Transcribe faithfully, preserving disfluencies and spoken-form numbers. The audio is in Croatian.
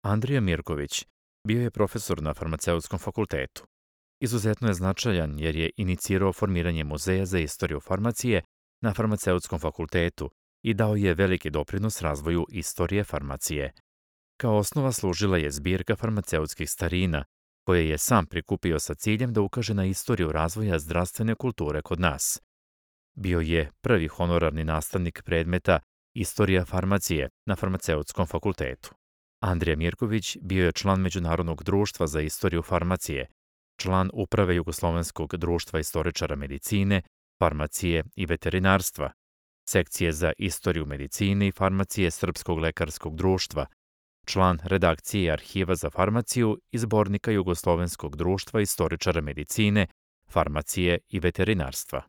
Andrija Mirković bio je profesor na Farmaceutskom fakultetu. Izuzetno je značajan jer je inicirao formiranje Muzeja za istoriju farmacije na Farmaceutskom fakultetu i dao je veliki doprinos razvoju istorije farmacije. Kao osnova služila je zbirka farmaceutskih starina, koje je sam prikupio sa ciljem da ukaže na istoriju razvoja zdravstvene kulture kod nas. Bio je prvi honorarni nastavnik predmeta Istorija farmacije na Farmaceutskom fakultetu. Andrija Mirković bio je član Međunarodnog društva za istoriju farmacije, član Uprave Jugoslovenskog društva istoričara medicine, farmacije i veterinarstva, sekcije za istoriju medicine i farmacije Srpskog lekarskog društva, član redakcije Arhiva za farmaciju i Zbornika Jugoslovenskog društva istoričara medicine, farmacije i veterinarstva.